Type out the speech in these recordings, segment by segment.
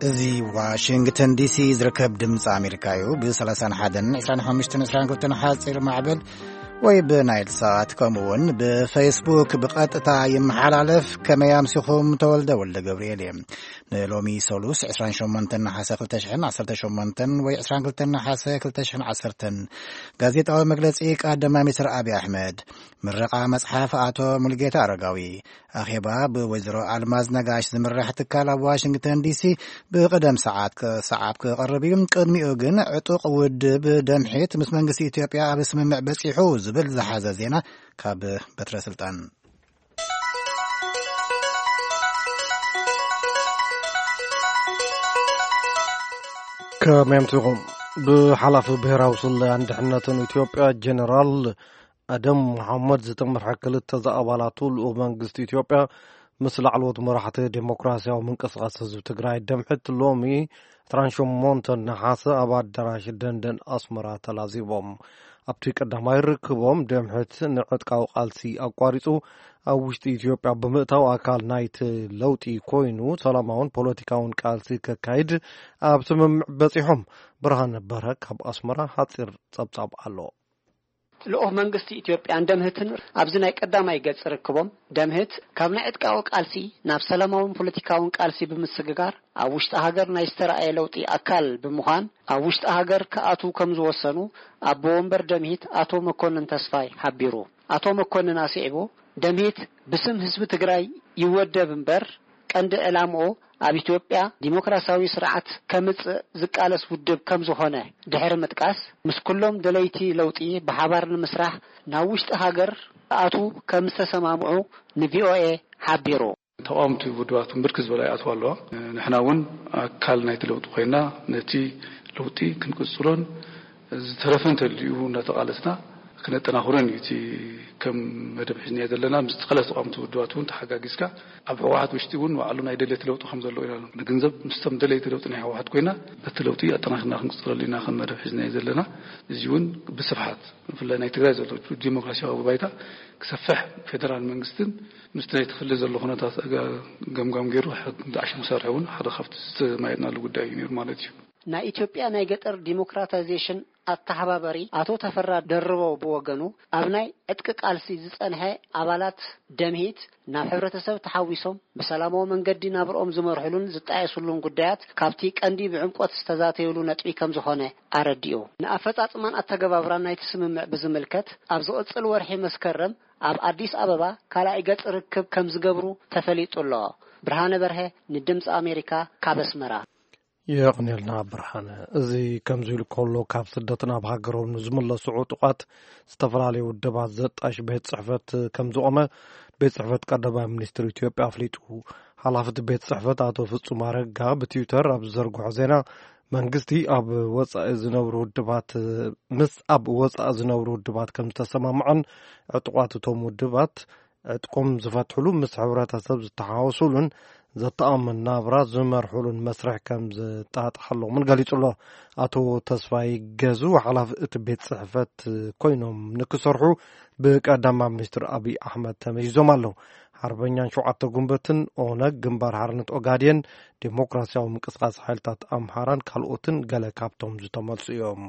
እዚ ዋሽንግተን ዲሲ ዝርከብ ድምፂ ኣሜሪካ እዩ። ብ31፣ 25፣ 22 ሓፂር ማዕበል ወይ ብናይል ሳት፣ ከምኡ እውን ብፌስቡክ ብቐጥታ ይመሓላለፍ። ከመይ ኣምሲኹም? ተወልደ ወልደ ገብርኤል እየ። ንሎሚ ሰሉስ 28 ነሓሰ 2018 ወይ 22 ነሓሰ 2010 ጋዜጣዊ መግለፂ ቀዳማይ ሚኒስትር ኣብይ ኣሕመድ፣ ምረቓ መፅሓፍ ኣቶ ሙሉጌታ ኣረጋዊ፣ ኣኼባ ብወይዘሮ ኣልማዝ ነጋሽ ዝምራሕ ትካል ኣብ ዋሽንግተን ዲሲ ብቕደም ሰዓት ክሰዓብ ክቐርብ እዩ። ቅድሚኡ ግን ዕጡቕ ውድብ ደምሒት ምስ መንግስቲ ኢትዮጵያ ኣብ ስምምዕ በጺሑ ዝብል ዝሓዘ ዜና ካብ በትረ ስልጣን። ከመይ ኣምሲኹም? ብሓላፊ ብሄራዊ ስለያን ድሕነትን ኢትዮጵያ ጀነራል ኣደም መሓመድ ዝተመርሐ ክልተ ዝኣባላቱ ልኡኽ መንግስቲ ኢትዮጵያ ምስ ላዕለዎት መራሕቲ ዴሞክራሲያዊ ምንቅስቃስ ህዝቢ ትግራይ ደምሕት ሎሚ ዕስራን ሸሞንተን ነሓሰ ኣብ ኣዳራሽ ደንደን ኣስመራ ተላዚቦም። ኣብቲ ቀዳማይ ርክቦም ደምሕት ንዕጥቃዊ ቃልሲ ኣቋሪጹ ኣብ ውሽጢ ኢትዮጵያ ብምእታው ኣካል ናይቲ ለውጢ ኮይኑ ሰላማውን ፖለቲካውን ቃልሲ ከካይድ ኣብ ስምምዕ በጺሖም። ብርሃነ በርሀ ካብ ኣስመራ ሓጺር ጸብጻብ ኣሎ። ልኡኽ መንግስቲ ኢትዮጵያን ደምህትን ኣብዚ ናይ ቀዳማይ ገጽ ርክቦም፣ ደምህት ካብ ናይ ዕጥቃዊ ቃልሲ ናብ ሰላማውን ፖለቲካውን ቃልሲ ብምስግጋር ኣብ ውሽጢ ሃገር ናይ ዝተረኣየ ለውጢ ኣካል ብምዃን ኣብ ውሽጢ ሃገር ክኣትዉ ከም ዝወሰኑ ኣቦ ወንበር ደምሂት ኣቶ መኮንን ተስፋይ ሓቢሩ። ኣቶ መኮንን ኣስዒቡ፣ ደምሂት ብስም ህዝቢ ትግራይ ይወደብ እምበር ቀንዲ ዕላምኡ ኣብ ኢትዮጵያ ዲሞክራሲያዊ ስርዓት ከምጽእ ዝቃለስ ውድብ ከም ዝኾነ ድሕሪ ምጥቃስ፣ ምስ ኩሎም ደለይቲ ለውጢ ብሓባር ንምስራሕ ናብ ውሽጢ ሃገር ክኣትዉ ከም ዝተሰማምዑ ንቪኦኤ ሓቢሩ። ተቓወምቲ ውድባት ብርክት ዝበላ ይኣትዋ ኣለዋ። ንሕና እውን ኣካል ናይቲ ለውጢ ኮይና ነቲ ለውጢ ክንቅጽሎን ዝተረፈ እንተልዩ እናተቓለስና ክነጠናኽሮን እዩ። እቲ ከም መደብ ሒዝናዮ ዘለና ምስ ተቓለስቲ ተቓወምቲ ውድባት እውን ተሓጋጊዝካ ኣብ ህወሓት ውሽጢ እውን ባዕሉ ናይ ደለይቲ ለውጢ ከም ዘለዎ ኢና ንግንዘብ። ምስቶም ደለይቲ ለውጢ ናይ ህወሓት ኮይና ነቲ ለውጢ ኣጠናኺርና ክንቅጽለሉ ኢና ከም መደብ ሒዝናዮ ዘለና። እዚ እውን ብስፍሓት ብፍላይ ናይ ትግራይ ዘሎ ዲሞክራሲያዊ ባይታ ክሰፍሕ ፌደራል መንግስትን ምስቲ ናይቲ ክልል ዘሎ ኩነታት ገምጋም ገይሩ ዝዓሸ ክሰርሕ እውን ሓደ ካብቲ ዝተማየጥናሉ ጉዳይ እዩ ነይሩ ማለት እዩ። ናይ ኢትዮጵያ ናይ ገጠር ዲሞክራታይዜሽን ኣተሓባባሪ ኣቶ ተፈራ ደርበው ብወገኑ፣ ኣብ ናይ ዕጥቂ ቃልሲ ዝጸንሐ ኣባላት ደምሂት ናብ ሕብረተሰብ ተሓዊሶም ብሰላማዊ መንገዲ ናብርኦም ዝመርሕሉን ዝጣየሱሉን ጉዳያት ካብቲ ቀንዲ ብዕምቆት ዝተዛተዩሉ ነጥቢ ከም ዝኾነ ኣረዲኡ። ንኣፈጻጽማን ኣተገባብራን ናይቲ ስምምዕ ብዝምልከት ኣብ ዝቕጽል ወርሒ መስከረም ኣብ ኣዲስ ኣበባ ካልኣይ ገጽ ርክብ ከም ዝገብሩ ተፈሊጡ ኣሎ። ብርሃነ በርሀ ንድምጺ ኣሜሪካ ካብ ኣስመራ። የቕንየልና ብርሃነ። እዚ ከምዚ ኢሉ ከሎ፣ ካብ ስደት ናብ ሃገሮም ንዝምለሱ ዕጡቓት ዝተፈላለዩ ውደባት ዘጣሽ ቤት ጽሕፈት ከም ዝቖመ ቤት ጽሕፈት ቀዳማይ ሚኒስትር ኢትዮጵያ ኣፍሊጡ። ሓላፊ እቲ ቤት ጽሕፈት ኣቶ ፍጹም ኣረጋ ብትዊተር ኣብ ዝዘርግሖ ዜና፣ መንግስቲ ኣብ ወጻኢ ዝነብሩ ውድባት፣ ምስ ኣብ ወጻኢ ዝነብሩ ውድባት ከም ዝተሰማምዐን ዕጡቓት እቶም ውድባት ዕጥቆም ዝፈትሕሉ፣ ምስ ሕብረተሰብ ዝተሓወሱሉን ዘተኣማምን ናብራ ዝመርሕሉን መስርሕ ከም ዝጣጣሓሎምን ገሊጹ ኣሎ። ኣቶ ተስፋይ ገዙ ሓላፊ እቲ ቤት ጽሕፈት ኮይኖም ንክሰርሑ ብቀዳማይ ሚኒስትር ኣብይ ኣሕመድ ተመይዞም ኣለዉ። ሓርበኛን ሸውዓተ ጉንበትን፣ ኦነግ፣ ግንባር ሓርነት ኦጋዴን፣ ዴሞክራሲያዊ ምንቅስቃስ ሓይልታት ኣምሓራን ካልኦትን ገለ ካብቶም ዝተመልሱ እዮም።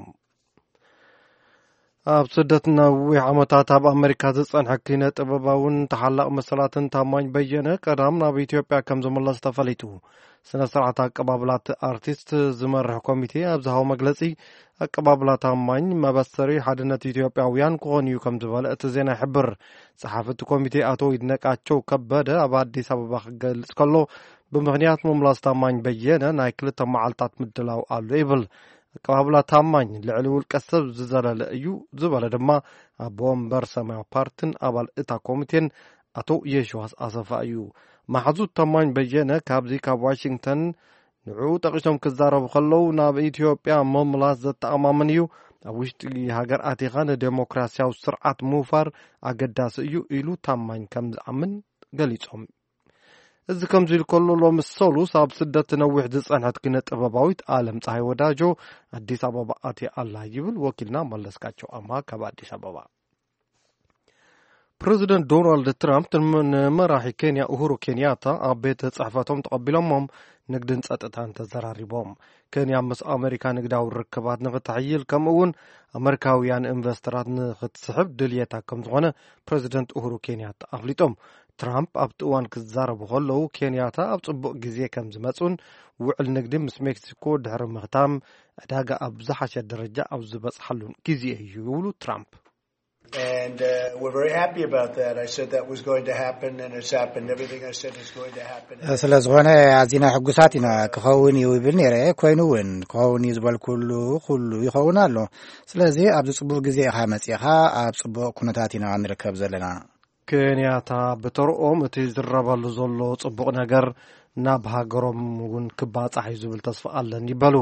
ኣብ ስደት ነዊሕ ዓመታት ኣብ ኣመሪካ ዝጸንሐ ኪነ ጥበባውን ተሓላቕ መሰላትን ታማኝ በየነ ቀዳም ናብ ኢትዮጵያ ከም ዝምለስ ተፈሊጡ። ስነ ስርዓት ኣቀባብላት ኣርቲስት ዝመርሕ ኮሚቴ ኣብ ዝሃቦ መግለጺ፣ ኣቀባብላ ታማኝ መበሰሪ ሓድነት ኢትዮጵያውያን ክኾን እዩ ከም ዝበለ እቲ ዜና ይሕብር። ጸሓፊ እቲ ኮሚቴ ኣቶ ይድነቃቸው ከበደ ኣብ ኣዲስ ኣበባ ክገልጽ ከሎ፣ ብምኽንያት ምምላስ ታማኝ በየነ ናይ ክልተ መዓልታት ምድላው ኣሎ ይብል። ኣቀባብላ ታማኝ ልዕሊ ውልቀ ሰብ ዝዘለለ እዩ ዝበለ ድማ ኣቦ ወንበር ሰማያዊ ፓርቲን ኣባል እታ ኮሚቴን ኣቶ የሽዋስ ኣሰፋ እዩ። መሓዙት ታማኝ በየነ ካብዚ ካብ ዋሽንግተን ንዕኡ ጠቒሶም ክዛረቡ ከለዉ፣ ናብ ኢትዮጵያ ምምላስ ዘተኣማምን እዩ፣ ኣብ ውሽጢ ሃገር ኣቲኻ ንዴሞክራሲያዊ ስርዓት ምውፋር ኣገዳሲ እዩ ኢሉ ታማኝ ከም ዝኣምን ገሊጾም። እዚ ከምዚ ኢሉ ከሎ፣ ሎሚ ሰሉስ ኣብ ስደት ነዊሕ ዝጸንሐት ኪነ ጥበባዊት ኣለም ፀሃይ ወዳጆ ኣዲስ ኣበባ ኣትያ ኣላ ይብል ወኪልና መለስካቸው ኣማ ካብ ኣዲስ ኣበባ። ፕረዚደንት ዶናልድ ትራምፕ ንመ-፣ ንመራሒ ኬንያ ኡሁሩ ኬንያታ ኣብ ቤት ጽሕፈቶም ተቐቢሎሞም ንግድን ጸጥታን ተዘራሪቦም። ኬንያ ምስ ኣሜሪካ ንግዳዊ ርክባት ንኽትሕይል፣ ከምኡ እውን ኣመሪካውያን ኢንቨስተራት ንኽትስሕብ ድልየታ ከም ዝኾነ ፕረዚደንት ኡሁሩ ኬንያታ ኣፍሊጦም። ትራምፕ ኣብቲ እዋን ክዛረቡ ከለዉ፣ ኬንያታ ኣብ ጽቡቕ ግዜ ከም ዝመጹን ውዕል ንግዲ ምስ ሜክሲኮ ድሕሪ ምኽታም፣ ዕዳጋ ኣብ ዝሓሸ ደረጃ ኣብ ዝበጽሓሉን ግዜ እዩ ይብሉ ትራምፕ። And uh, we're very happy about that. I said that was going to happen, and it's happened. Everything I said is going to happen. ስለ ዝኾነ ኣዚና ሕጉሳት ኢና። ክኸውን እዩ ይብል ነይረ፣ ኮይኑ እውን ክኸውን እዩ ዝበልኩሉ ኩሉ ይኸውን ኣሎ። ስለዚ ኣብዚ ጽቡቕ ግዜ ኢኻ መጺኻ፣ ኣብ ጽቡቕ ኩነታት ኢና ንርከብ ዘለና። ኬንያታ ብተርኦም እቲ ዝረበሉ ዘሎ ጽቡቕ ነገር ናብ ሃገሮም እውን ክባጻሕ እዩ ዝብል ተስፋ ኣለኒ በሉ።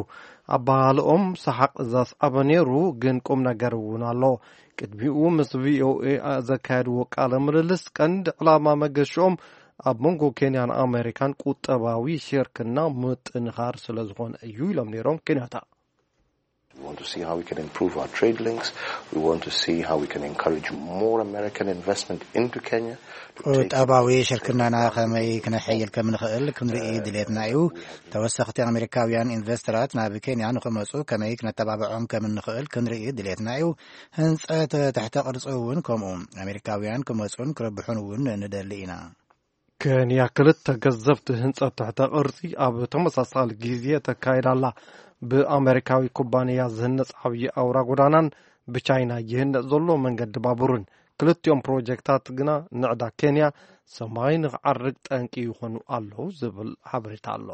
ኣባሃልኦም ሰሓቕ ዘስዓበ ነይሩ፣ ግን ቁም ነገር እውን ኣሎ። ቅድሚኡ ምስ ቪኦኤ ዘካየድዎ ቃለ ምልልስ ቀንዲ ዕላማ መገሽኦም ኣብ መንጎ ኬንያን ኣሜሪካን ቁጠባዊ ሽርክና ምጥንኻር ስለ ዝኾነ እዩ ኢሎም ነይሮም ኬንያታ። We want to see how we can improve our trade links. We want to see how we can encourage more American investment into Kenya. ቁጠባዊ ሽርክናና ከመይ ክነሐይል ከም ንኽእል ክንርኢ ድሌትና እዩ። ተወሰኽቲ ኣሜሪካውያን ኢንቨስተራት ናብ ኬንያ ንኽመፁ ከመይ ክነተባብዖም ከም እንኽእል ክንርኢ ድሌትና እዩ። ህንፀት ትሕተ ቅርፂ እውን ከምኡ። ኣሜሪካውያን ክመፁን ክረብሑን እውን ንደሊ ኢና። ኬንያ ክልተ ገዘፍቲ ህንጸት ትሕተ ቅርጺ ኣብ ተመሳሳሊ ግዜ ተካይዳ ኣላ። ብኣመሪካዊ ኩባንያ ዝህነጽ ዓብዪ ኣውራ ጎዳናን ብቻይና ይህነጽ ዘሎ መንገዲ ባቡርን። ክልቲኦም ፕሮጀክታት ግና ንዕዳ ኬንያ ሰማይ ንኽዓርግ ጠንቂ ይኾኑ ኣለዉ ዝብል ሓበሬታ ኣሎ።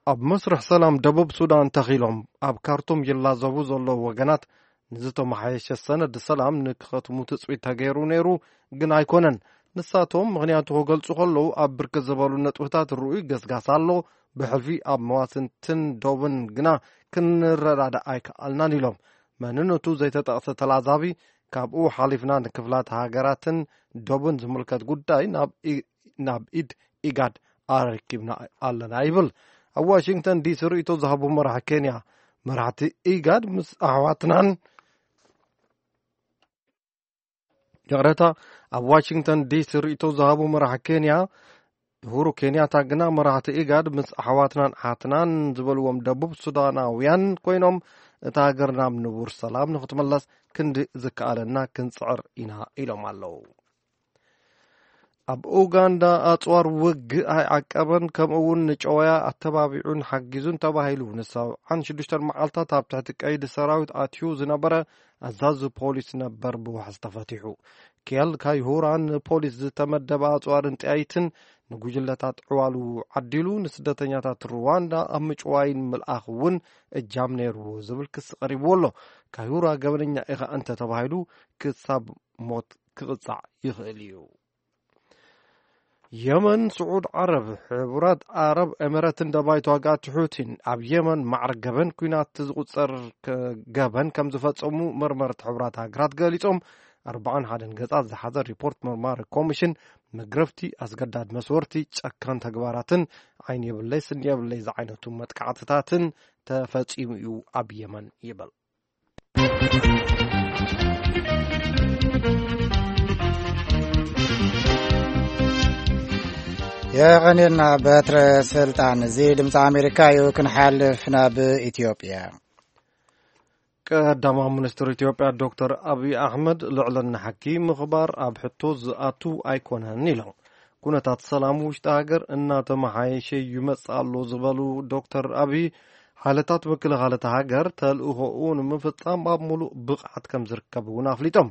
ኣብ መስርሕ ሰላም ደቡብ ሱዳን ተኺሎም ኣብ ካርቱም ይላዘቡ ዘለዉ ወገናት ንዝተመሓየሸ ሰነድ ሰላም ንክኸትሙ ትጽቢት ተገይሩ ነይሩ፣ ግን ኣይኮነን። ንሳቶም ምኽንያቱ ክገልጹ ከለዉ ኣብ ብርክት ዝበሉ ነጥብታት ርኡይ ገስጋስ ኣሎ፣ ብሕልፊ ኣብ መዋስንትን ዶብን ግና ክንረዳዳእ ኣይከኣልናን ኢሎም። መንነቱ ዘይተጠቕሰ ተላዛቢ ካብኡ ሓሊፍና ንክፍላት ሃገራትን ዶብን ዝምልከት ጉዳይ ናብ ኢ- ናብ ኢድ ኢጋድ ኣረኪብና ኣለና ይብል። ኣብ ዋሽንግተን ዲሲ ርእይቶ ዝሃቡ መራሒ ኬንያ፣ መራሕቲ ኢጋድ ምስ ኣሕዋትናን ይቕረታ፣ ኣብ ዋሽንግተን ዲሲ ርእይቶ ዝሃቡ መራሒ ኬንያ ኡሁሩ ኬንያታ ግና መራሕቲ ኢጋድ ምስ ኣሕዋትናን ኣሓትናን ዝበልዎም ደቡብ ሱዳናውያን ኮይኖም እታ ሃገር ናብ ንቡር ሰላም ንክትመለስ ክንዲ ዝከኣለና ክንጽዕር ኢና ኢሎም ኣለዉ። ኣብ ኡጋንዳ ኣጽዋር ውግእ ኣይዓቀበን፣ ከምኡ እውን ንጨወያ ኣተባቢዑን ሓጊዙን ተባሂሉ ንሰብዓን ሽዱሽተን መዓልታት ኣብ ትሕቲ ቀይዲ ሰራዊት ኣትዩ ዝነበረ ኣዛዚ ፖሊስ ነበር ብዋሕስ ተፈቲሑ። ኬል ካይሁራ ንፖሊስ ዝተመደበ ኣጽዋርን ጠያይትን ንጉጅለታት ዕዋሉ ዓዲሉ ንስደተኛታት ሩዋንዳ ኣብ ምጭዋይን ምልኣኽ እውን እጃም ነይርዎ ዝብል ክሲ ቀሪብዎ ኣሎ። ካይሁራ ገበነኛ ኢኻ እንተ ተባሂሉ ክሳብ ሞት ክቕጻዕ ይኽእል እዩ። የመን፣ ስዑድ ዓረብ፣ ሕቡራት ኣረብ ኤምረትን ደባይ ተዋጋእቲ ሑቲን ኣብ የመን ማዕረ ገበን ኲናት ዝቑጸር ገበን ከም ዝፈጸሙ መርመርቲ ሕቡራት ሃገራት ገሊጾም። ኣርባዓን ሓደን ገጻት ዝሓዘ ሪፖርት መርማሪ ኮሚሽን መግረፍቲ፣ ኣስገዳድ መስወርቲ፣ ጨካን ተግባራትን ዓይኒ የብለይ ስኒ የብለይ ዝዓይነቱ መጥቃዕትታትን ተፈጺሙ እዩ ኣብ የመን ይብል። የቐኔልና በትረ ስልጣን። እዚ ድምፂ ኣሜሪካ እዩ። ክንሓልፍ ናብ ኢትዮጵያ። ቀዳማዊ ሚኒስትር ኢትዮጵያ ዶክተር ኣብይ ኣሕመድ ልዕልና ሕጊ ምኽባር ኣብ ሕቶ ዝኣቱ ኣይኮነን ኢሎም። ኩነታት ሰላም ውሽጢ ሃገር እናተመሓየሸ ይመጽእ ኣሎ ዝበሉ ዶክተር ኣብይ፣ ሓይልታት ምክልኻል እታ ሃገር ተልእኾኡ ንምፍጻም ኣብ ሙሉእ ብቕዓት ከም ዝርከብ እውን ኣፍሊጦም።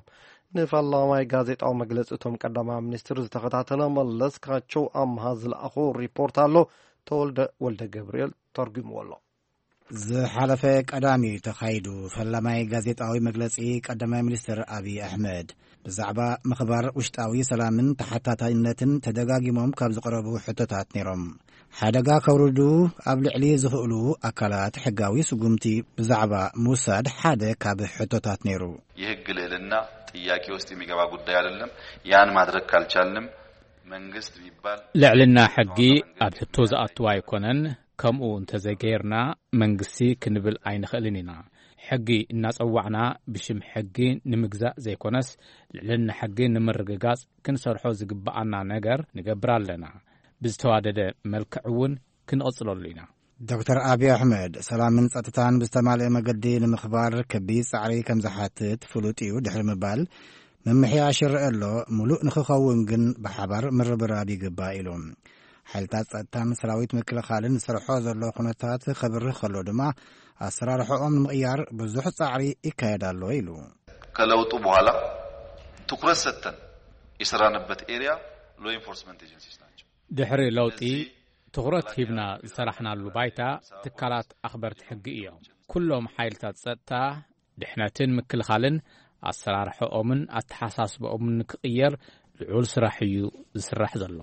ንፈላማይ ጋዜጣዊ መግለጺ እቶም ቀዳማይ ሚኒስትር ዝተኸታተለ መለስካቸው ኣምሃ ዝለኣኾ ሪፖርት ኣሎ። ተወልደ ወልደ ገብርኤል ተርጉምዎ ኣሎ። ዝሓለፈ ቀዳሚ ተኻይዱ ፈላማይ ጋዜጣዊ መግለጺ ቀዳማይ ሚኒስትር ኣብይ ኣሕመድ ብዛዕባ ምኽባር ውሽጣዊ ሰላምን ተሓታታይነትን ተደጋጊሞም ካብ ዝቐረቡ ሕቶታት ነይሮም። ሓደጋ ከውርዱ ኣብ ልዕሊ ዝኽእሉ ኣካላት ሕጋዊ ስጉምቲ ብዛዕባ ምውሳድ ሓደ ካብ ሕቶታት ነይሩ። የህግ ልዕልና ጥያቄ ውስጥ የሚገባ ጉዳይ አይደለም። ያን ማድረግ ካልቻልንም መንግስት የሚባል ልዕልና ሕጊ ኣብ ሕቶ ዝኣትው ኣይኮነን። ከምኡ እንተዘይገይርና መንግስቲ ክንብል ኣይንኽእልን ኢና። ሕጊ እናጸዋዕና ብሽም ሕጊ ንምግዛእ ዘይኮነስ ልዕልና ሕጊ ንምርግጋጽ ክንሰርሖ ዝግብኣና ነገር ንገብር ኣለና። ብዝተዋደደ መልክዕ እውን ክንቕጽለሉ ኢና። ዶክተር ኣብይ ኣሕመድ ሰላምን ጸጥታን ብዝተማልአ መገዲ ንምኽባር ከቢድ ጻዕሪ ከም ዝሓትት ፍሉጥ እዩ ድሕሪ ምባል፣ ምምሕያሽ ይረአ ኣሎ፣ ምሉእ ንኽኸውን ግን ብሓባር ምርብራብ ይግባእ ኢሉ። ሓይልታት ጸጥታን ሰራዊት ምክልኻልን ዝሰርሖ ዘሎ ኩነታት ከብርህ ከሎ ድማ፣ ኣሰራርሖኦም ንምቕያር ብዙሕ ጻዕሪ ይካየድ ኣሎ ኢሉ። ከለውጡ በኋላ ትኩረት ሰጥተን የሰራንበት ኤሪያ ሎ ኢንፎርስመንት ኤጀንሲስ ናቸው። ድሕሪ ለውጢ ትኹረት ሂብና ዝሰራሕናሉ ባይታ ትካላት ኣኽበርቲ ሕጊ እዮም። ኩሎም ሓይልታት ጸጥታ፣ ድሕነትን ምክልኻልን ኣሰራርሖኦምን ኣተሓሳስባኦምን ንክቕየር ልዑል ስራሕ እዩ ዝስራሕ ዘሎ።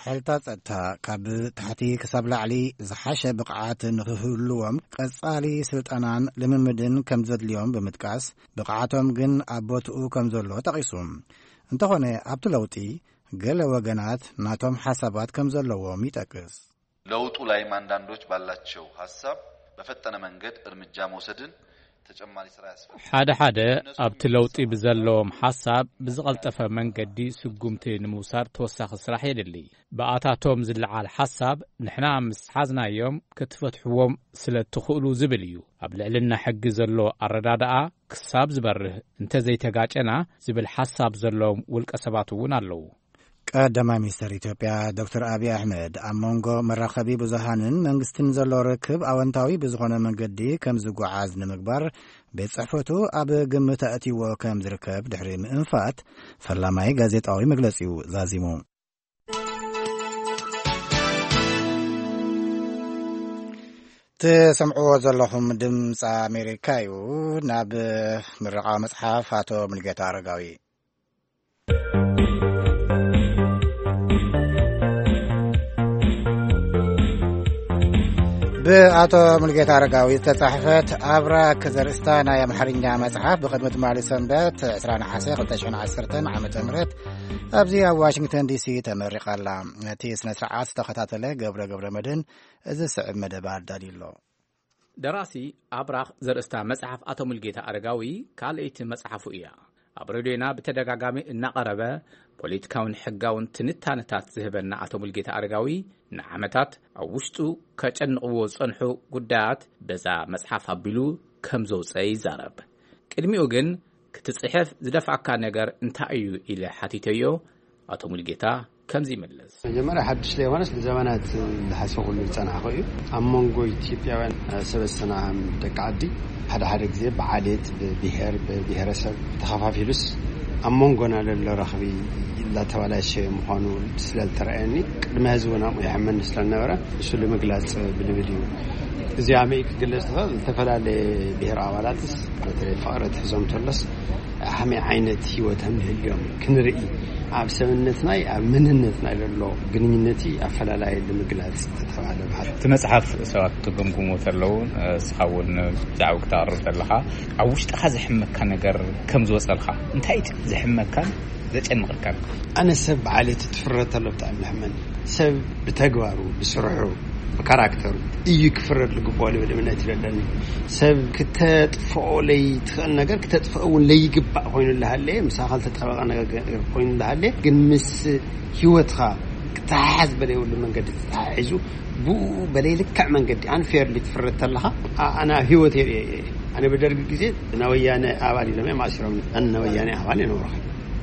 ሓይልታት ጸጥታ ካብ ታሕቲ ክሳብ ላዕሊ ዝሓሸ ብቕዓት ንክህልዎም ቀጻሊ ስልጠናን ልምምድን ከም ዘድልዮም ብምጥቃስ፣ ብቕዓቶም ግን ኣብ ቦትኡ ከም ዘሎ ጠቒሱ። እንተኾነ ኣብቲ ለውጢ ገለ ወገናት ናቶም ሓሳባት ከም ዘለዎም ይጠቅስ። ለውጡ ላይም አንዳንዶች ባላቸው ሀሳብ በፈጠነ መንገድ እርምጃ መውሰድን ተጨማሪ ስራ ያስፈልጋል። ሓደ ሓደ ኣብቲ ለውጢ ብዘለዎም ሓሳብ ብዝቐልጠፈ መንገዲ ስጉምቲ ንምውሳድ ተወሳኺ ስራሕ የድሊ። ብኣታቶም ዝለዓል ሓሳብ ንሕና ምስ ሓዝናዮም ክትፈትሕዎም ስለ ትኽእሉ ዝብል እዩ። ኣብ ልዕልና ሕጊ ዘሎ ኣረዳድኣ ክሳብ ዝበርህ እንተዘይተጋጨና ዝብል ሓሳብ ዘለዎም ውልቀ ሰባት እውን ኣለዉ። ቀዳማይ ሚኒስተር ኢትዮጵያ ዶክተር ኣብይ ኣሕመድ ኣብ መንጎ መራኸቢ ብዙሃንን መንግስትን ዘሎ ርክብ ኣወንታዊ ብዝኾነ መንገዲ ከም ዝጓዓዝ ንምግባር ቤት ጽሕፈቱ ኣብ ግምት ኣእትይዎ ከም ዝርከብ ድሕሪ ምእንፋት ፈላማይ ጋዜጣዊ መግለጺኡ ዛዚሙ። ትሰምዕዎ ዘለኹም ድምፂ ኣሜሪካ እዩ። ናብ ምርቓ መፅሓፍ ኣቶ ሙልጌታ ኣረጋዊ። ብኣቶ ሙልጌታ ኣረጋዊ ዝተጻሕፈት ኣብራክ ዘርእስታ ናይ ኣምሓርኛ መጽሓፍ ብቕድሚ ትማሊ ሰንበት ዕስራ ነሓሰ ክልተ ሽሕን ዓሰርተን ዓመተ ምህረት ኣብዚ ኣብ ዋሽንግተን ዲሲ ተመሪቓ ኣላ። ነቲ ስነ ስርዓት ዝተኸታተለ ገብረ ገብረ መድህን እዚ ዝስዕብ መደብ ኣዳልዩ ኣሎ። ደራሲ ኣብራኽ ዘርእስታ መጽሓፍ ኣቶ ሙልጌታ ኣረጋዊ ካልኣይቲ መጽሓፉ እያ። ኣብ ሬድዮና ብተደጋጋሚ እናቐረበ ፖለቲካውን ሕጋውን ትንታነታት ዝህበና ኣቶ ሙልጌታ ኣረጋዊ ንዓመታት ኣብ ውሽጡ ከጨንቕዎ ዝጸንሑ ጉዳያት በዛ መጽሓፍ ኣቢሉ ከም ዘውጸ ይዛረብ። ቅድሚኡ ግን ክትጽሕፍ ዝደፍኣካ ነገር እንታይ እዩ ኢለ ሓቲተዮ። ኣቶ ሙልጌታ ከምዚ ይመልስ። መጀመርያ ሓድሽ ዘይኮነስ ንዘመናት ዝሓሰብኩሉ ዝጸናሕኩ እዩ። ኣብ መንጎ ኢትዮጵያውያን ሰበስትና ደቂ ዓዲ ሓደ ሓደ ግዜ ብዓሌት፣ ብብሄር፣ ብብሄረሰብ ተኸፋፊሉስ ኣብ መንጎና ለሎ ረኽቢ እንዳተበላሸየ ምዃኑ ስለ ዝተረኣየኒ ቅድሚ ሕዚ እውን ኣብኡ ይሕመኒ ስለ ዝነበረ ንሱ ንምግላጽ ብልብል እዩ። እዚኣ መይ ክግለጽ ትኽእል? ዝተፈላለየ ብሄር ኣባላትስ በተለይ ፍቕሪ ትሕዞም ተሎስ ከመይ ዓይነት ህይወት ከም ዝህልዮም ክንርኢ፣ ኣብ ሰብነትናይ ኣብ መንነትናይ ዘሎ ግንኙነቲ ኣፈላላይ ንምግላጽ ዝተባህለ ባህል። እቲ መጽሓፍ ሰባት ክግምግሙ ተለዉ ንስኻ እውን ብዛዕባ ክተቕርብ ተለኻ ኣብ ውሽጥኻ ዘሕመካ ነገር ከም ዝወጸልካ እንታይ እዩ ዘሕመካን ዘጨንቐካን? ኣነ ሰብ ብዓሌቱ ትፍረድ ተሎ ብጣዕሚ ለሕመኒ። ሰብ ብተግባሩ ብስርሑ ብካራክተሩ እዩ ክፍረድ ዝግብኦ ልብል እምነት ይለለኒ። ሰብ ክተጥፍኦ ለይትኽእል ነገር ክተጥፍኦ እውን ለይግባእ ኮይኑ እንዳሃለየ፣ ምሳኻ ዝተጣበቐ ነገር ኮይኑ እንዳሃለየ ግን ምስ ህይወትኻ ክተሓሓዝ በለይብሉ መንገዲ ተተሓሒዙ ብኡ በለይ ልክዕ መንገዲ ኣንፌርሊ ትፍረድ ተለኻ ኣነ ኣብ ህይወት የርእየ እየ። ኣነ ብደርጊ ግዜ ናይ ወያነ ኣባል ኢሎም እዮም ኣሲሮም። ኣነ ናይ ወያነ ኣባል የነበርኹ።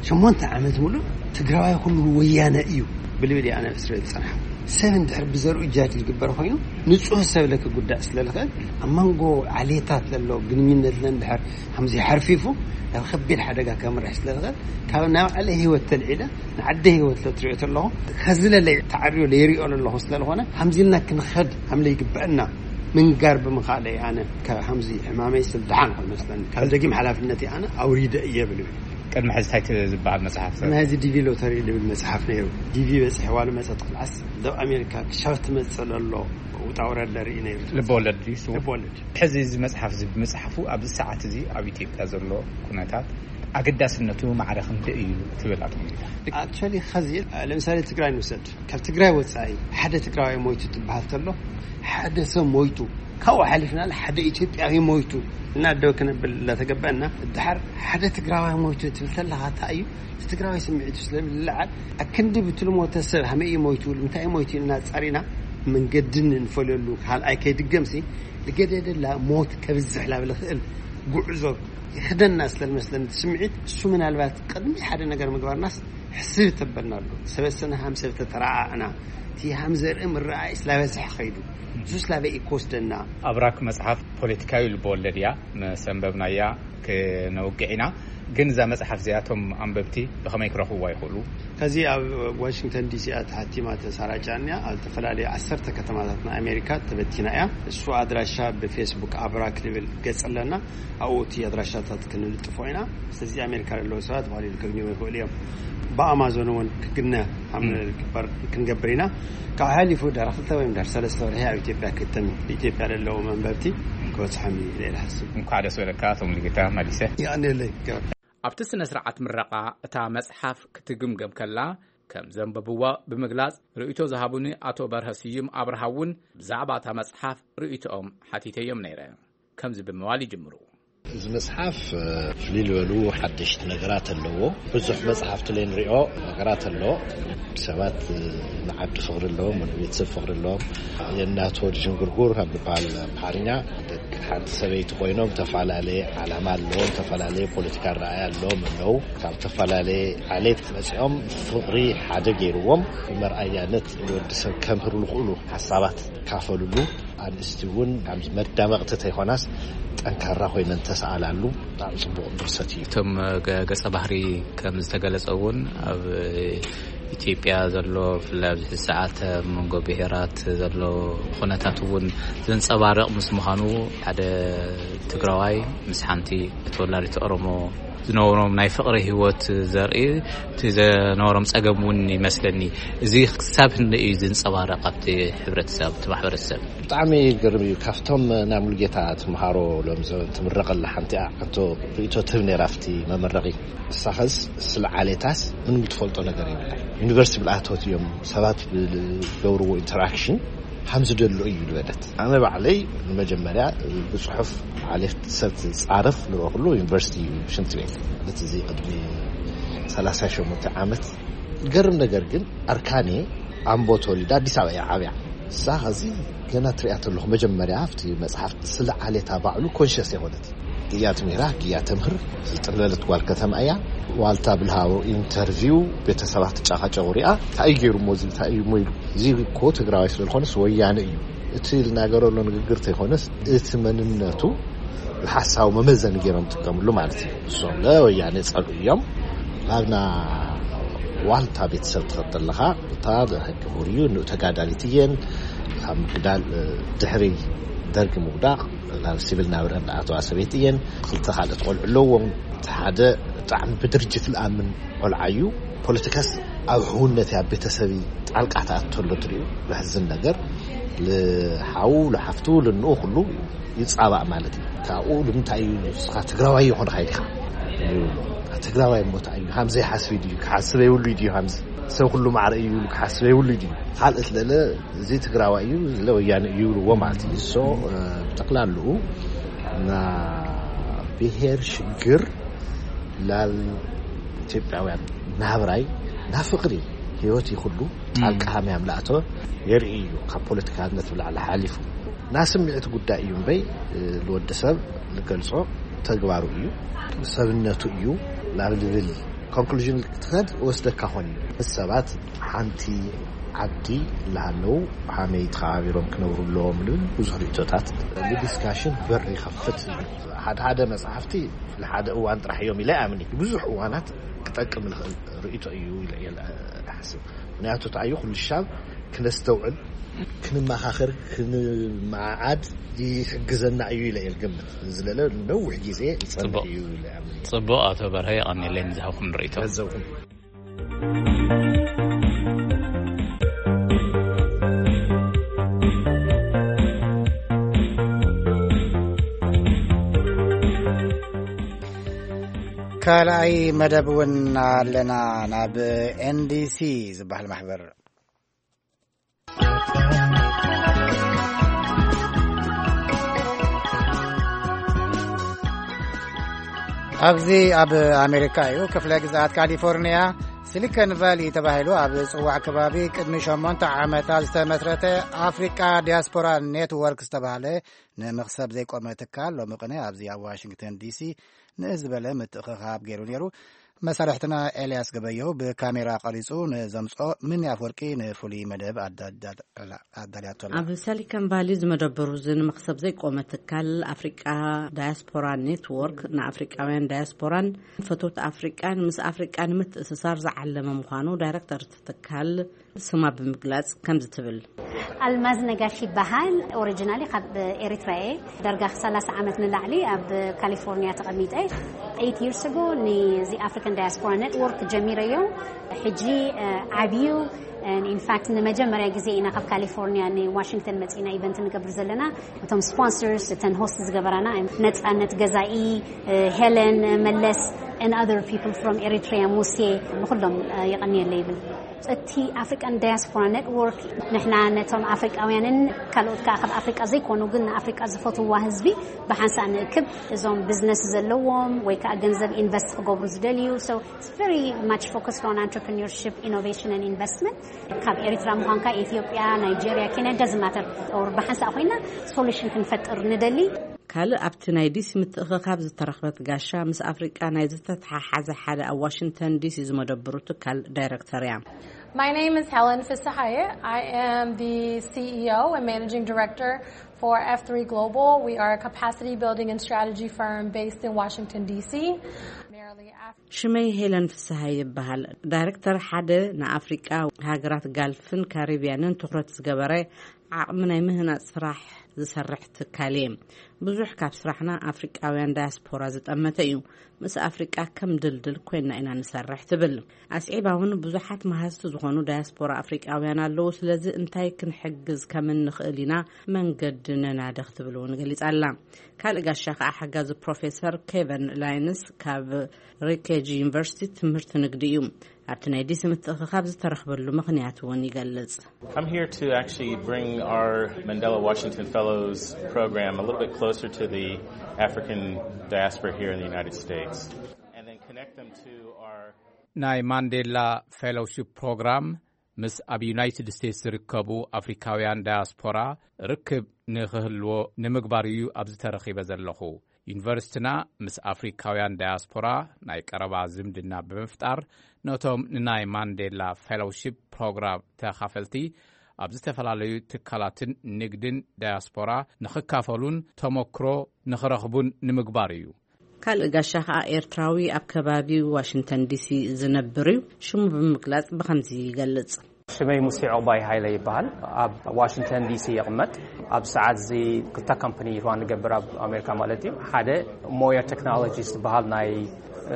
ሸሞንተ ዓመት ሙሉእ ትግራዋይ ኩሉ ወያነ እዩ ብልብል ኣነ እስረ ዝፀንሐ። ሰብ እንድሕር ብዘርኡ ጃጅ ዝግበር ኮይኑ ንፁህ ሰብ ለክጉዳእ ስለልኽእል ኣብ መንጎ ዓሌታት ለሎ ግንኙነት ለንድሕር ከምዚ ሓርፊፉ ናብ ከቢድ ሓደጋ ከምርሕ ስለልኽእል ካብ ናይ ባዕለ ህይወት ተልዒለ ንዓደ ህይወት ለትሪኦ ተለኹ ከዝለለ ተዓርዮ ለይሪኦ ለለኹ ስለልኾነ ከምዚ ኢልና ክንኸድ ከም ለይግበአና ምንጋር ብምኻለይ ኣነ ከምዚ ሕማመይ ስልድሓን ኮይኑ መስለኒ ካብ ደጊም ሓላፍነትይ ኣነ ኣውሪደ እየ ብልብል። ቅድሚ ሕዚ እንታይ ዝበሃል መፅሓፍ? ቅድሚ ሕዚ ዲቪ ሎተሪ ዝብል መፅሓፍ ነይሩ። ዲቪ በፂሕዋ ልመፀት ክልዓስ ደብ ኣሜሪካ ክሻብ ትመፅእ ለሎ ውጣ ውረድ ለርኢ ነይሩ። ልበወለድ ድዩ? ልበወለድ። ሕዚ እዚ መፅሓፍ እዚ ብምፅሓፉ ኣብዚ ሰዓት እዚ ኣብ ኢትዮጵያ ዘሎ ኩነታት ኣገዳስነቱ ማዕረ ክንደይ እዩ ትብል ኣቶ ሙሉጌታ? ኣክቸሊ ኸዚ ለምሳሌ ትግራይ ንውሰድ። ካብ ትግራይ ወፃኢ ሓደ ትግራዋይ ሞይቱ ትበሃል ተሎ ሓደ ሰብ ሞይቱ ካብኡ ሓሊፍና ሓደ ኢትዮጵያዊ ሞይቱ እና ደው ክነብል እናተገበአና፣ ድሓር ሓደ ትግራዋይ ሞይቱ ትብል ተለኻ፣ እንታይ እዩ እቲ ትግራዋይ ስምዒቱ ስለዝለዓል፣ ኣክንዲ ብቲ ልሞተ ሰብ ሃመይ እዩ ሞይቱ፣ እንታይ እዩ ሞይቱ ኢልና ጻሪና መንገዲ ንፈልየሉ፣ ካልኣይ ከይድገምሲ፣ ልገደደላ ሞት ከብዝሕ ላብ ልኽእል ጉዕዞ ይኽደና ስለዝመስለኒ፣ እቲ ስምዒት እሱ ምናልባት ቅድሚ ሓደ ነገር ምግባርናስ ሕስብ ተበልና ኣሎ። ሰበሰና ሃም ሰብ ተተረኣእና፣ እቲ ሃም ዘርኢ ምረኣይ ስላበዝሕ ኸይዱ፣ እሱ ስላበ ይኮስደና። ኣብራክ መጽሓፍ ፖለቲካዊ ልበወለድ እያ። ምስ ኣንበብናያ ክነውግዕ ኢና። ግን እዛ መጽሓፍ እዚኣቶም ኣንበብቲ ብኸመይ ክረኽብዋ ይኽእሉ? ከዚ ኣብ ዋሽንግተን ዲሲ እያ ተሓቲማ ተሰራጫ እኒኣ። ኣብ ዝተፈላለዩ ዓሰርተ ከተማታት ናይ ኣሜሪካ ተበቲና እያ። እሱ ኣድራሻ ብፌስቡክ ኣብራክ ልብል ገጽ ኣለና። ኣብኡ እቲ ኣድራሻታት ክንልጥፎ ኢና። ስለዚ ኣሜሪካ ዘለዉ ሰባት ብቐሊሉ ከግንዩ ይኽእሉ እዮም። ብኣማዞን እውን ክግነ ከም ግበር ክንገብር ኢና። ካብ ሓሊፉ ድሕሪ ክልተ ወይ ድሕሪ ሰለስተ ወርሒ ኣብ ኢትዮጵያ ክእተም እዩ። ኢትዮጵያ ዘለዉ መንበብቲ ክበፅሖም እዩ ኢለ እየ ዝሓስብ። እንኳዕ ደስ በለካ ኣቶ ሙሉጌታ መሊሰ። የቐንየለይ። ኣብቲ ስነ ስርዓት ምረቓ እታ መጽሓፍ ክትግምገም ከላ፣ ከም ዘንበብዋ ብምግላጽ፣ ርእይቶ ዝሃቡኒ ኣቶ በርሀ ስዩም ኣብርሃ እውን ብዛዕባ እታ መጽሓፍ ርእይቶኦም ሓቲተዮም ነይረ። ከምዚ ብምባል ይጅምሩ። እዚ መጽሓፍ ፍልይ ዝበሉ ሓደሽቲ ነገራት ኣለዎ። ብዙሕ መጽሓፍቲ ለይ ንሪኦ ነገራት ኣሎ። ሰባት ንዓዲ ፍቕሪ ኣለዎም፣ ንቤተሰብ ፍቕሪ ኣለዎም። የእናት ወዲ ዥንጉርጉር ካብ ዝበሃል ኣምሓርኛ፣ ደቂ ሓንቲ ሰበይቲ ኮይኖም፣ ዝተፈላለየ ዓላማ ኣለዎም፣ ዝተፈላለየ ፖለቲካ ኣረኣእያ ኣለዎም ኣለዉ። ካብ ዝተፈላለየ ዓሌት መጺኦም፣ ፍቕሪ ሓደ ገይርዎም፣ መርኣያነት ንወዲ ሰብ ከምህሩ ዝኽእሉ ሓሳባት ካፈሉሉ። ኣንስቲ እውን ከምዚ መዳመቕቲ ተይኮናስ፣ ጠንካራ ኮይነን ተሰኣላሉ። ብጣዕሚ ጽቡቕ ድርሰት እዩ። እቶም ገ-፣ ገጸ ባህሪ ከም ዝተገለጸ እውን፣ ኣብ ኢትዮጵያ ዘሎ፣ ብፍላይ ኣብዚ ሰዓት ኣብ መንጎ ብሄራት ዘሎ ኩነታት እውን ዘንጸባርቕ ምስ ምዃኑ፣ ሓደ ትግራዋይ ምስ ሓንቲ ተወላዲት ኦሮሞ ዝነበሮም ናይ ፍቕሪ ህይወት ዘርኢ፣ እቲ ዘነበሮም ጸገም እውን ይመስለኒ። እዚ ክሳብ ክንደይ እዩ ዝንጸባረቕ ኣብቲ ሕብረተሰብ፣ ኣብቲ ማሕበረሰብ? ብጣዕሚ ይገርም እዩ። ካብቶም ናይ ሙሉጌታ ተምሃሮ ሎም ዘበን ትምረቕ ኣላ ሓንቲ እያ። ሕቶ ርእይቶ ትህብ ነይራ ኣብቲ መመረቒ። ንሳኸስ ስለ ዓሌታስ ምንም ትፈልጦ ነገር የብላን። ዩኒቨርሲቲ ብልኣቶት እዮም፣ ሰባት ብዝገብርዎ ኢንተራክሽን ሃም ዝደሎ እዩ ዝበለት። ኣነ ባዕለይ ንመጀመርያ ብጽሑፍ ዓሌት ሰብ ትጻረፍ ዝረኽሉ ዩኒቨርሲቲ እዩ፣ ሽንቲ ቤት። ማለት እዚ ቅድሚ ሰላሳ ሸሞንተ ዓመት። ዝገርም ነገር ግን ኣርካኔ ኣምቦ ተወሊዳ ኣዲስ ኣበባ እያ ዓብያ። እሳ ኸዚ ገና ትሪኣ ተለኹ መጀመርያ ኣብቲ መጽሓፍ ስለ ዓሌታ ባዕሉ ኮንሸስ የኾነት። ግያ ትምህራ፣ ግያ ተምህር፣ ዝጥለለት ጓል ከተማ እያ። ዋልታ ብልሃቦ ኢንተርቪው ቤተሰባት ትጫቃጨቁ ሪኣ፣ እንታይ እዩ ገይሩ እሞ እዚ፣ እንታይ እዩ እሞ ኢሉ። እዚ እኮ ትግራዋይ ስለ ዝኾነስ ወያነ እዩ። እቲ ልናገረሉ ንግግር ተይኮነስ እቲ መንነቱ ብሓሳዊ መመዘኒ ገይሮም ጥቀምሉ ማለት እዩ። እሶም ለወያነ ጸልኡ እዮም። ናብና ዋልታ ቤተሰብ ትኸድ ኣለኻ፣ እታ ሕጊ ሙር እዩ፣ ንኡ ተጋዳሊት እየን። ካብ ምግዳል፣ እ፣ ድሕሪ ደርጊ ምውዳቕ ናብ ሲቪል ናብረን ዝኣተዋ ሰበይቲ እየን። ክልተ ካልኦት ቆልዑ ኣለዎም። እቲ ሓደ ብጣዕሚ ብድርጅት ዝኣምን ቆልዓ እዩ። ፖለቲካስ ኣብ ሕውነት ኣብ ቤተሰብ ጣልቃ ተኣትተሎ ትሪኡ። ዘሕዝን ነገር፣ ልሓው፣ ልሓፍቱ፣ ልንኡ ኩሉ ይጻባእ ማለት እዩ። ካብኡ ንምንታይ እዩ ንስኻ ትግራዋይ ይኾንኻ ኢልካ? ትግራዋይ እሞ እንታይ እዩ? ሃምዘ ይሓስብ ድዩ? ክሓስብ የብሉ ድዩ? ሃምዘ ሰብ ኩሉ ማዕረ እዩ ኢሉ ክሓስብ የብሉ ድዩ? ካልእ ስለለ እዚ ትግራዋይ እዩ፣ ዝለ ወያነ እዩ ይብልዎ ማለት እዩ። ሶ፣ እ፣ ብጠቕላልኡ ና ብሄር ሽግር ላል ኢትዮጵያውያን ናብራይ ና ፍቕሪ ህይወት ይኹሉ ጣልቃ ሃምያም ላእቶ የርኢ እዩ። ካብ ፖለቲካነት ብላዕሊ ሓሊፉ ና ስምዒት ጉዳይ እዩ እምበይ፣ እ፣ ንወዲ ሰብ ዝገልጾ ተግባሩ እዩ፣ ሰብነቱ እዩ ናብ ልብል ኮንክሉዥን ክትኸድ ወስደካ ኾን እዩ። ምስ ሰባት ሓንቲ ዓዲ እናሃለዉ ሃመይ ተኸባቢሮም ክነብሩ ኣለዎም ልብል ብዙሕ ርእቶታት ንዲስካሽን በር ይኸፍት እዩ። ሓደ ሓደ መጽሓፍቲ ንሓደ እዋን ጥራሕ እዮም ኢለ ኣምኒ። ብዙሕ እዋናት ክጠቅም ዝኽእል ርእቶ እዩ ኢለ እየ ዝሓስብ። ምክንያቱ እንታይ እዩ፣ ኩሉ ሻብ ክነስተውዕል፣ ክንመኻኸር፣ ክንመዓዓድ ይሕግዘና እዩ ኢለ እየ ዝገምት። ዝለለ ነዊሕ ግዜ ይጸንሕ ጽቡቕ። እዩ ኢለ እየ ኣምኒ። ጽቡቕ ኣቶ በርሀ፣ የቐንየለይ ንዝሃብኩም ርእቶ። ገንዘብኩም። ካልኣይ መደብ እውን ኣለና፣ ናብ ኤንዲሲ ዝበሃል ማሕበር። ኣብዚ ኣብ ኣሜሪካ እዩ። ክፍለ ግዝኣት ካሊፎርኒያ ሲሊኮን ቫሊ ተባሂሉ ኣብ ዝጽዋዕ ከባቢ ቅድሚ ሸሞንተ ዓመታት ዝተመስረተ ኣፍሪቃ ዲያስፖራ ኔትወርክ ዝተባህለ ንመኽሰብ ዘይቆመ ትካል ሎሚ ቅነ ኣብዚ ኣብ ዋሽንግተን ዲሲ ንእስ ዝበለ ምትእኽኻብ ገይሩ ነይሩ። መሳርሕትና ኤልያስ ገበየው ብካሜራ ቀሪጹ ንዘምጽኦ ምን ኣፍወርቂ ንፍሉይ መደብ ኣዳዳላ ኣዳልያቶ ኣላ። ኣብ ሰሊከን ቫሊ ዝመደበሩ እዚ ንመኽሰብ ዘይቆመ ትካል ኣፍሪቃ ዳያስፖራ ኔትወርክ ንኣፍሪቃውያን ዳያስፖራን ፈቶት ኣፍሪቃን ምስ ኣፍሪቃ ንምትእስሳር ዝዓለመ ምዃኑ ዳይረክተር እቲ ትካል ስማ ብምግላጽ ከምዚ ትብል። ኣልማዝ ነጋሽ ይበሃል። ኦሪጂናሊ ካብ ኤሪትራ እየ። ዳርጋ ሰላሳ ዓመት ንላዕሊ ኣብ ካሊፎርኒያ ተቐሚጠ። Eight years ago ንዚ ኣፍሪካን ዳያስፖራ ኔትወርክ ጀሚረዮ። ሕጂ ዓብዩ። ኢንፋክት ንመጀመርያ ግዜ ኢና ካብ ካሊፎርኒያ ንዋሽንግተን መፂና ኢቨንት ንገብር ዘለና። እቶም ስፖንሰርስ፣ እተን ሆስት ዝገበራና፣ ነፃነት ገዛኢ፣ ሄለን መለስ፣ and other people from Eritrea፣ ሙሴ፣ ንኩሎም የቐንየለ ይብል። እቲ ኣፍሪካን ዳያስፖራ ኔትወርክ ንሕና ነቶም ኣፍሪቃውያንን ካልኦት ከዓ ካብ ኣፍሪቃ ዘይኮኑ ግን ንኣፍሪቃ ዝፈትዋ ህዝቢ ብሓንሳእ ንእክብ። እዞም ቢዝነስ ዘለዎም ወይ ከዓ ገንዘብ ኢንቨስት ክገብሩ ዝደልዩ። So it's very much focused on entrepreneurship, innovation and investment. ካብ ኤሪትራ ምዃንካ፣ ኢትዮጵያ፣ ናይጄሪያ፣ ኬንያ፣ doesn't matter፣ or ብሓንሳእ ኮይና ሶሉሽን ክንፈጥር ንደሊ። ካልእ ኣብቲ ናይ ዲሲ ምትእኽኻብ ዝተረኽበት ጋሻ ምስ ኣፍሪቃ ናይ ዝተተሓሓዘ ሓደ ኣብ ዋሽንግተን ዲሲ ዝመደብሩ ትካል ዳይረክተር እያ። My name is Helen Fisahaye. I am the C E O and Managing Director for F three Global. We are a capacity building and strategy firm based in Washington, D C. Primarily Af- ሽመይ ሄለን ፍስሃ ይበሃል። ዳይረክተር ሓደ ንኣፍሪቃ ሃገራት ጋልፍን ካሪብያንን ትኹረት ዝገበረ ዓቕሚ ናይ ምህናጽ ስራሕ ዝሰርሕ ትካል እየ። ብዙሕ ካብ ስራሕና ኣፍሪቃውያን ዳያስፖራ ዝጠመተ እዩ። ምስ ኣፍሪቃ ከም ድልድል ኮይና ኢና ንሰርሕ ትብል። ኣስዒባ እውን ብዙሓት መሃዝቲ ዝኾኑ ዳያስፖራ ኣፍሪቃውያን ኣለዉ። ስለዚ እንታይ ክንሕግዝ ከም እንኽእል ኢና መንገዲ ነናድኽ ትብል እውን ገሊጻ ኣላ። ካልእ ጋሻ ከዓ ሓጋዚ ፕሮፌሰር ኬቨን ላይንስ ካብ ሪኬጅ ዩኒቨርሲቲ ትምህርቲ ንግዲ እዩ። ኣብቲ ናይ ዲሲ ምትእኽኻብ ዝተረኽበሉ ምኽንያት እውን ይገልጽ። I'm here to actually bring our Mandela Washington Fellows program a little bit closer to the African diaspora here in the United States, and then connect them to our ናይ ማንዴላ ፌሎውሺፕ ፕሮግራም ምስ ኣብ ዩናይትድ ስቴትስ ዝርከቡ ኣፍሪካውያን ዳያስፖራ ርክብ ንኽህልዎ ንምግባር እዩ ኣብዚ ተረኺበ ዘለኹ። ዩኒቨርሲቲና ምስ ኣፍሪካውያን ዳያስፖራ ናይ ቀረባ ዝምድና ብምፍጣር ነቶም ንናይ ማንዴላ ፌሎውሺፕ ፕሮግራም ተኻፈልቲ ኣብ ዝተፈላለዩ ትካላትን ንግድን ዳያስፖራ ንኽካፈሉን ተመክሮ ንኽረኽቡን ንምግባር እዩ። ካልእ ጋሻ ኸኣ ኤርትራዊ ኣብ ከባቢ ዋሽንግተን ዲሲ ዝነብር እዩ። ሽሙ ብምግላጽ ብኸምዚ ይገልጽ። ሽመይ ሙሴ ዑቕባይ ሃይለ ይበሃል። ኣብ ዋሽንግተን ዲሲ ይቕመጥ። ኣብ ሰዓት እዚ ክልተ ካምፓኒ ሩን ንገብር ኣብ ኣሜሪካ ማለት እዩ። ሓደ ሞያ ቴክኖሎጂ ዝበሃል ናይ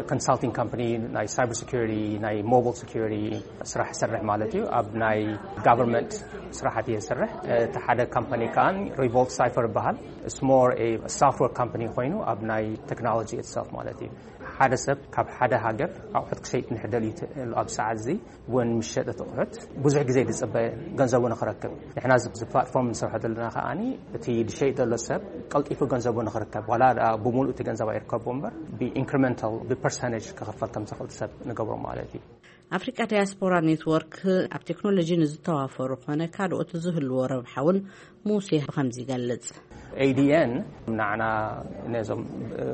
ኮንሳልቲንግ ካምፓኒ ናይ ሳይበር ሴኩሪቲ፣ ናይ ሞባይል ሴኩሪቲ ስራሕ ይሰርሕ ማለት እዩ። ኣብ ናይ ጋቨርንመንት ስራሓት እየ ዝሰርሕ። እቲ ሓደ ካምፓኒ ከኣ ሪቮልት ሳይፈር ይበሃል። It's more a software company ኮይኑ ኣብ ናይ ቴክኖሎጂ ኢትሰልፍ ማለት እዩ። ሓደ ሰብ ካብ ሓደ ሃገር ኣቑሑት ክሸይጥ እንድሕር ደልዩ ት-፣ ኣብ ሰዓት እዚ እውን ምሸጥ እቲ ኣቑሑት ብዙሕ ግዜ ዝፅበ ገንዘቡ ንኽረክብ። ንሕና እዚ፣ እዚ ፕላትፎርም ንሰርሖ ዘለና ከኣኒ እቲ ዝሸይጥ ዘሎ ሰብ ቀልጢፉ ገንዘቡ ንኽርከብ፣ ዋላ ደኣ ብምሉእ እቲ ገንዘብ ኣይርከቦ እምበር ብኢንክሪመንታል፣ ብፐርሰንቴጅ ክኽፈል ከም ዝኽእል ሰብ ንገብሮ ማለት እዩ። ኣፍሪቃ ዳያስፖራ ኔትወርክ ኣብ ቴክኖሎጂ ንዝተዋፈሩ ኮነ ካልኦት ዝህልዎ ረብሓ እውን ሙሴ ብኸምዚ ይገልጽ። ኤ ዲ ኤን ንዓና ነዞም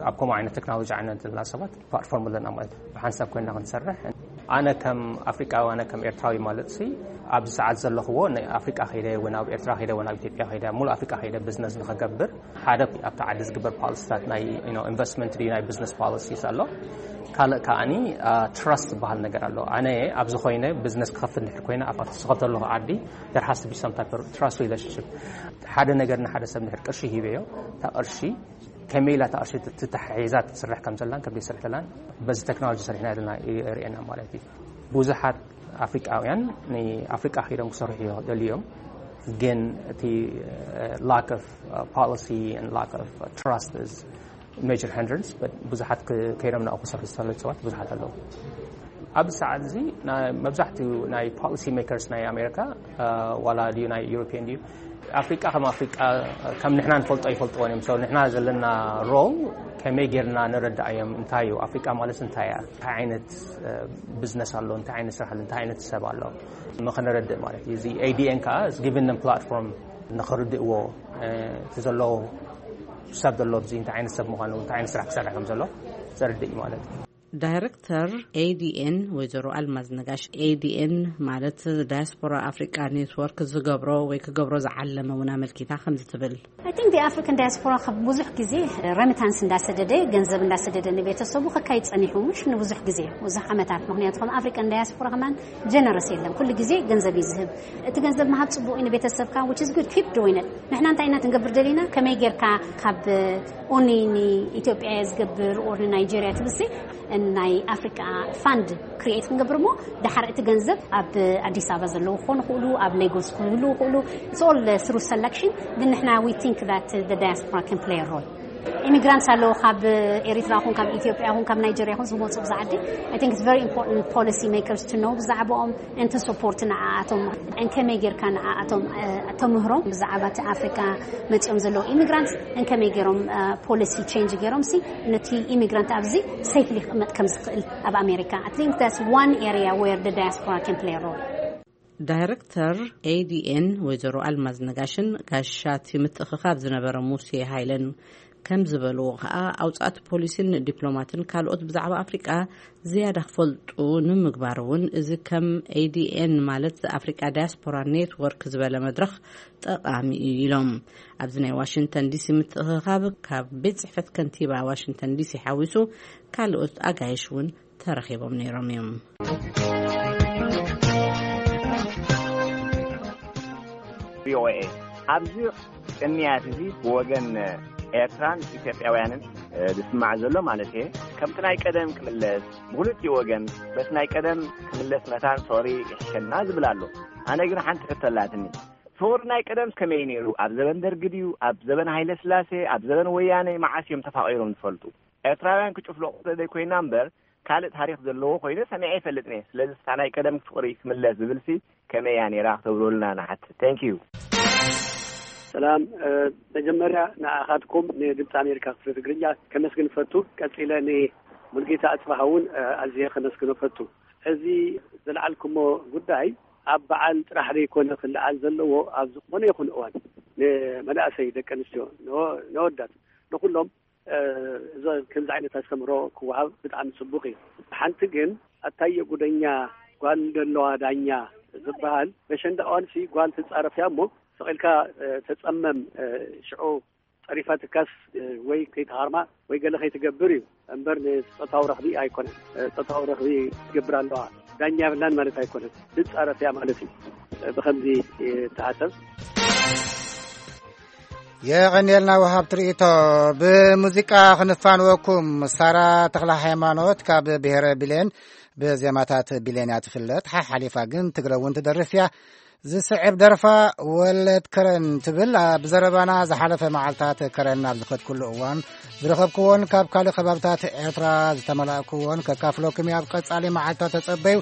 ኣብ ከምኡ ዓይነት ቴክኖሎጂ ዓይነት ዘለና ሰባት ፕላትፎርም ኣለና ማለት እዩ። ብሓንሳብ ኮይና ክንሰርሕ፣ ኣነ ከም ኣፍሪቃዊ፣ ኣነ ከም ኤርትራዊ ማለት ሲ ኣብዚ ሰዓት ዘለኽዎ ንኣፍሪቃ ከይደ ወይ ናብ ኤርትራ ከይደ ወይ ናብ ኢትዮጵያ ከይደ፣ ሙሉእ ኣፍሪቃ ከይደ ቢዝነስ ንኸገብር ሓደ ኣብቲ ዓዲ ዝግበር ፖሊሲታት ናይ፣ you know፣ ኢንቨስትመንት ድዩ ናይ ቢዝነስ ፖሊሲስ ኣሎ። ካልእ ከኣኒ ትራስት ዝበሃል ነገር ኣሎ። ኣነ ኣብዚ ኮይነ ቢዝነስ ክኸፍት እንድሕር ኮይነ ኣብቲ ዝኸፍተሉ ዓዲ there has to be some type of trust relationship። ሓደ ነገር ንሓደ ሰብ እንድሕር ቅርሺ ሂበዮ፣ እታ ቅርሺ ከመይ ኢላ እታ ቅርሺ ትተሓሒዛ ትስራሕ ከም ዘላን ከም ዘይስራሕ ዘላን በዚ ቴክኖሎጂ ሰሪሕና ዘለና የርእየና ማለት እዩ። ብዙሓት ኣፍሪቃውያን ንኣፍሪቃ ከይዶም ክሰርሑ ይደልዩ እዮም፣ ግን እቲ lack of policy and lack of trust is major hindrance, but ብዙሓት ክ-፣ ከይዶም ናብኡ ክሰርሑ ዝሰለዩ ሰባት ብዙሓት ኣለዉ። ኣብዚ ሰዓት እዚ ና-፣ መብዛሕትኡ ናይ ፖሊሲ ሜከርስ ናይ ኣሜሪካ፣ ዋላ ድዩ ናይ ዩሮፒያን ድዩ፣ ኣፍሪቃ ከም ኣፍሪቃ ከም ንሕና ንፈልጦ ይፈልጥዎን እዮም። So ንሕና ዘለና ሮል ከመይ ጌርና ንረዳእዮም? እንታይ እዩ ኣፍሪቃ ማለት? እንታይ እያ? እንታይ ዓይነት እ፣ ቢዝነስ ኣሎ? እንታይ ዓይነት ስራሕ ኣሎ? እንታይ ዓይነት ሰብ ኣሎ? ንኸነረድእ ማለት እዩ። እዚ A D N ከዓ is giving them platform ንኸርድእዎ፣ እ፣ እቲ ዘሎ ሰብ ዘሎ ኣብዚ እንታይ ዓይነት ሰብ ምዃኑ፣ እንታይ ዓይነት ስራሕ ክሰርሕ ከም ዘሎ ዘርድእ እዩ ማለት እዩ። ዳይሬክተር A D N ወይዘሮ ኣልማዝ ነጋሽ፣ A D N ማለት ዳያስፖራ ኣፍሪቃ ኔትወርክ ዝገብሮ ወይ ክገብሮ ዝዓለመ እውን ኣመልኪታ ከምዚ ትብል። I think the African diaspora ብዙሕ ግዜ ረሚታንስ እንዳሰደደ፣ ገንዘብ እንዳሰደደ ንቤተሰቡ ከካይድ ጸኒሑ፣ ምሽ ንብዙሕ ግዜ፣ ብዙሕ ዓመታት። ምክንያቱ ከም ኣፍሪካን ዳያስፖራ ከማን ጀነረስ የለን። ኩሉ ግዜ ገንዘብ እዩ ዝህብ። እቲ ገንዘብ ምሃብ ጽቡቅ እዩ ንቤተሰብካ፣ which is good, keep doing it። ንሕና እንታይ ኢና ክንገብር ደሊና? ከመይ ጌርካ ካብ ኦኒ ንኢትዮጵያ ዝገብር ኦር ንናይጄሪያ ትብሲ ናይ ኣፍሪካ ፋንድ ክሪኤት ክንገብር፣ እሞ ድሓር እቲ ገንዘብ ኣብ ኣዲስ ኣበባ ዘለዉ ክኾኑ ይኽእሉ፣ ኣብ ሌጎስ ክህሉ ይኽእሉ። It's all through selection። ግን ንሕና we think that the diaspora can play a role። ኢሚግራንትስ ኣለዉ፣ ካብ ኤሪትራ ኹን ካብ ኢትዮጵያ ኹን ካብ ናይጀርያ ኹን ዝመፁ ብዛ ዓዲ። I think it's very important policy makers to know ብዛዕባኦም፣ and to support ንዓኣቶም፣ and ከመይ ጌርካ ንዓኣቶም ተምህሮም ብዛዕባ እቲ ኣፍሪካ መፂኦም ዘለዉ ኢሚግራንትስ፣ and ከመይ ገይሮም ፖሊሲ ቼንጅ ገይሮም ሲ ነቲ ኢሚግራንት ኣብዚ ሴፍሊ ክቕመጥ ከም ዝኽእል ኣብ ኣሜሪካ። I think that's one area where the diaspora can play a role። ዳይሬክተር A D N ወይዘሮ ኣልማዝ ነጋሽን ጋሻቲ ምትእኽኻብ ዝነበረ ሙሴ ሃይለን ከም ዝበልዎ ከኣ፣ ኣውጻእቲ ፖሊሲን ዲፕሎማትን ካልኦት ብዛዕባ ኣፍሪቃ ዝያዳ ክፈልጡ ንምግባር እውን እዚ ከም A D N ማለት ኣፍሪቃ ዳያስፖራ ኔትወርክ ዝበለ መድረኽ ጠቓሚ እዩ ኢሎም። ኣብዚ ናይ ዋሽንግተን ዲሲ ምትእኽኻብ ካብ ቤት ጽሕፈት ከንቲባ ዋሽንግተን ዲሲ ሓዊሱ ካልኦት ኣጋይሽ እውን ተረኺቦም ነይሮም እዮም። V O A ኣብዚ ቅንያት እዚ ብወገን ኤርትራን ኢትዮጵያውያንን ዝስማዕ ዘሎ ማለት እየ፣ ከምቲ ናይ ቀደም ክምለስ፣ ብክልቲኡ ወገን በቲ ናይ ቀደም ክምለስ መታን ፍቕሪ ይሕሸና ዝብል ኣሎ። ኣነ ግን ሓንቲ ሕቶ ኣላትኒ። ፍቕሪ ናይ ቀደም ከመይ ነይሩ? ኣብ ዘበን ደርጊ ድዩ? ኣብ ዘበን ሃይለ ስላሴ? ኣብ ዘበን ወያነ? መዓስ እዮም ተፋቒሮም ዝፈልጡ? ኤርትራውያን ክጭፍለቑ ዘይኮይና እምበር ካልእ ታሪኽ ዘለዎ ኮይነ ሰሚዐ ይፈልጥን እየ። ስለዚ እታ ናይ ቀደም ፍቕሪ ክምለስ ዝብልሲ ከመይ እያ ነይራ ክትብሉልና ንሓትት። Thank you። ሰላም። መጀመርያ ንኣኻትኩም ንድምፂ ኣሜሪካ ክፍሊ ትግርኛ ከመስግን ፈቱ። ቀፂለ ንሙልጌታ ኣፅባሃ እውን ኣዝየ ከመስግኖ ፈቱ። እዚ ዝለዓልኩሞ ጉዳይ ኣብ በዓል ጥራሕ ዘይኮነ ክለዓል ዘለዎ፣ ኣብ ዝኾነ ይኹን እዋን ንመናእሰይ፣ ደቂ ኣንስትዮ፣ ንወዳት፣ ንኩሎም እዚ ከምዚ ዓይነት ኣስተምህሮ ክወሃብ ብጣዕሚ ፅቡቅ እዩ። ሓንቲ ግን ኣታየ ጉደኛ ጓል እንደለዋ ዳኛ ዝበሃል በሸንዳ እዋንሲ ጓል ትፃረፍ እያ እሞ ስቂልካ ተፀመም ሽዑ ፀሪፋትካስ ወይ ከይትሃርማ ወይ ገለ ከይትገብር እዩ እምበር ንፆታዊ ረኽቢ ኣይኮነን። ፆታዊ ረኽቢ ትገብር ኣለዋ ዳኛ የብላን ማለት ኣይኮነን። ትፃረፍ እያ ማለት እዩ። ብከምዚ ተሓሰብ። የቐንየልና ወሃብ ትርኢቶ። ብሙዚቃ ክንፋንወኩም። ሳራ ተኽለ ሃይማኖት ካብ ብሔረ ቢሌን ብዜማታት ቢሌን እያ ትፍለጥ። ሓሓሊፋ ግን ትግረ እውን ትደርፍ እያ። ዝስዕብ ደርፋ ወለድ ከረን ትብል። ኣብ ዘረባና ዝሓለፈ መዓልታት ከረን ኣብ ዝኸድኩሉ እዋን ዝረኸብክዎን ካብ ካልእ ከባብታት ኤርትራ ዝተመላእክዎን ከካፍለኩም እየ። ኣብ ቀጻሊ መዓልታት ተጸበዩ።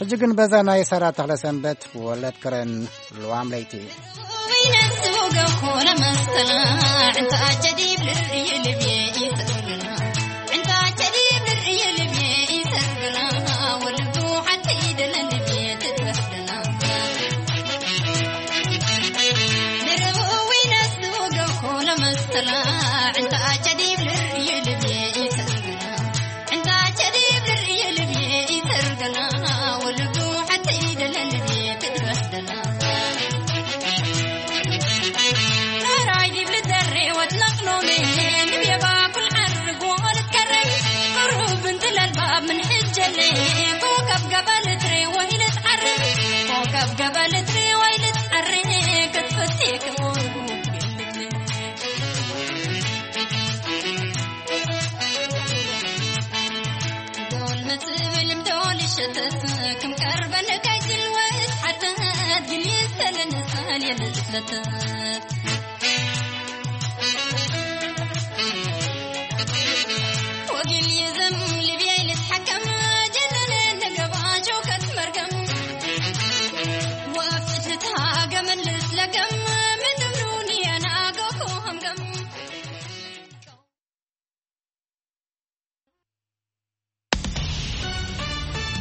ሕጂ ግን በዛ ናይ ሳራ ተኽለሰንበት ወለድ ከረን ልዋም ለይቲ።